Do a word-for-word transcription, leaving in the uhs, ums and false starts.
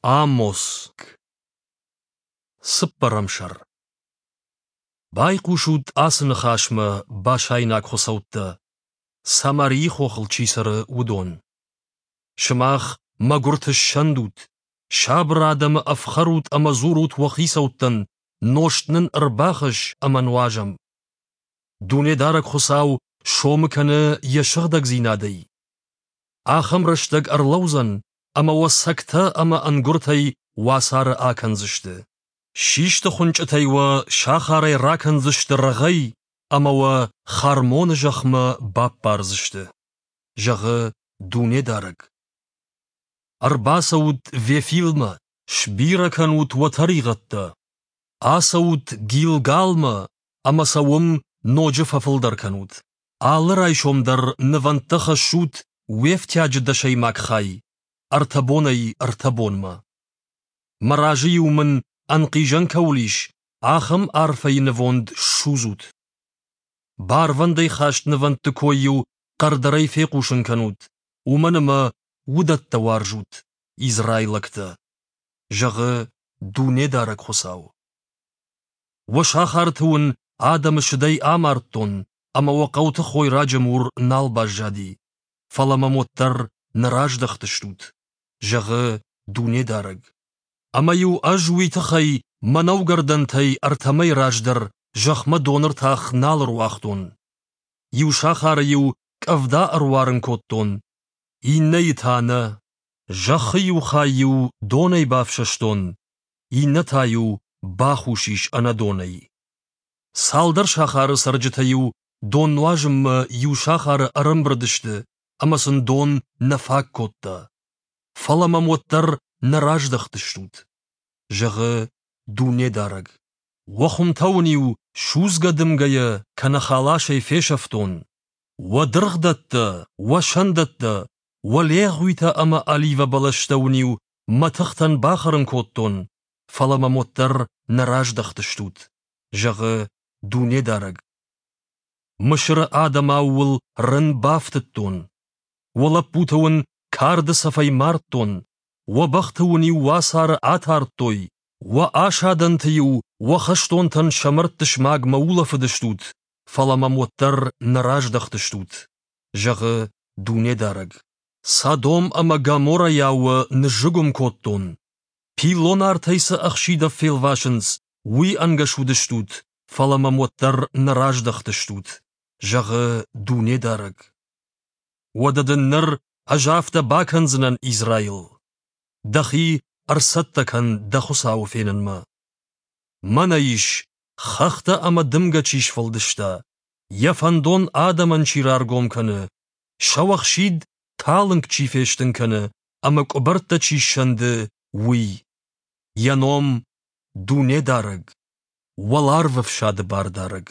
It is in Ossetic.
Амос. Цыппӕрӕм сӕр. Байхъусут ацы ныхасмӕ, башайнаг хуыцӕуттӕ, Самарийы хохыл чи цӕры, уыдон. Сымах мӕгуырты ссӕндут, сабыр адӕмы ӕфхӕрут ӕмӕ дзурут уӕ хицӕуттӕн, нозт нын ӕрбахӕсс ӕмӕ нуазӕм. Дунедарӕг Хуыцау сомы кӕны йӕ сыгъдӕгдзинадӕй. Ахӕм рӕстӕг ӕрлӕудзӕн, ӕмӕ уӕ цӕгтӕ ӕмӕ ӕнгуыртӕй уацары акӕндзысты. Систы хуынчъытӕй уӕ сахарӕй ракӕндзысты рӕгъӕй ӕмӕ уӕ Хармоны зӕхмӕ баппардзысты, зӕгъы Дунедарӕг. Ӕрбацӕут Вефилмӕ, сбирӕ кӕнут уӕ тӕригъӕдтӕ. Ацӕут Гилгалмӕ ӕмӕ сӕ уым ноджы фӕфылдӕр кӕнут. Алы райсом дӕр нывӕндтӕ хӕссут уе фтиаджы дӕсӕймаг хай, ӕртӕ бонӕй ӕртӕ бонмӕ. Мӕ разы-иу мын, ӕнхъизӕн кӕуыл ис, ахӕм арфӕйы нывонд ссудзут. Барвӕндӕй хаст нывӕндты кой-иу хъӕрдӕрӕй фехъусын кӕнут, уымӕн ӕмӕ уыдӕттӕ уарзут, израилӕгтӕ, зӕгъы Дунедарӕг Хуыцау. Уӕ сахарты уын адӕмы сыдӕй амардтон, ӕмӕ уӕ хъӕуты хойраджы мур нал баззади, фӕлӕ мӕм уӕддӕр нӕ раздӕхтыстут, зӕгъы Дунедарӕг. Ӕмӕ-иу ӕз уый тыххӕй мӕнӕугӕрдӕнтӕй ӕртӕ мӕй раздӕр зӕхмӕ доны ртах нал ӕруагътон. Иу сахары-иу къӕвда ӕруарын кодтон, иннӕйы та нӕ. Зӕххы иу хай-иу донӕй бафсӕстон, иннӕ та-иу бахус ис ӕнӕдонӕй. Цалдӕр сахары цӕрджытӕ-иу дон нуазынмӕ иу сахары ӕрӕмбырд сты, ӕмӕ сын дон нӕ фаг кодта. Фӕлӕ мӕм уӕддӕр нӕ раздӕхтыстут, зӕгъы Дунедарӕг. Уӕ хуымтӕ уын-иу судзгӕ дымгӕйӕ кӕнӕ халасӕй фесӕфтон. Уӕ дыргъдӕттӕ, уӕ сӕндӕттӕ, уӕ легъуитӕ ӕмӕ оливӕ бӕлӕстӕ уын-иу мӕтыхтӕн бахӕрын кодтон, фӕлӕ мӕм уӕддӕр нӕ раздӕхтыстут, зӕгъы Дунедарӕг. Мысыры адӕмау уыл рын бафтыдтон. Уӕ лӕппуты уын карды цӕфӕй мардтон, уӕ бӕхты уын-иу уацары атардтой, уӕ асадӕнты-иу уӕ хӕстонтӕн сӕ мӕрдты смагмӕ улӕфыдыстут, фӕлӕ мӕм уӕддӕр нӕ раздӕхтыстут, зӕгъы Дунедарӕг. Содом ӕмӕ Гоморрӕйау уӕ ныззыгуым кодтон. Пиллон артӕй цы ӕхсидав фелвасынц, уый ӕнгӕс уыдыстут, фӕлӕ мӕм уӕддӕр нӕ раздӕхтыстут, зӕгъы Дунедарӕг. Уӕдӕ дын ныр ӕз афтӕ бакӕндзынӕн, Израил. Дӕхи ӕрцӕттӕ кӕн дӕ Хуыцауы фенынмӕ. Мӕнӕ ис, хӕхтӕ ӕмӕ дымгӕ чи сфӕлдыста, йӕ фӕндон адӕмӕн чи раргом кӕны, сӕуӕхсид талынг чи фестын кӕны ӕмӕ къуыбӕрттӕ чи ссӕнды, уый. Йӕ ном — Дунедарӕг, Уӕларвӕфсады Бардарӕг.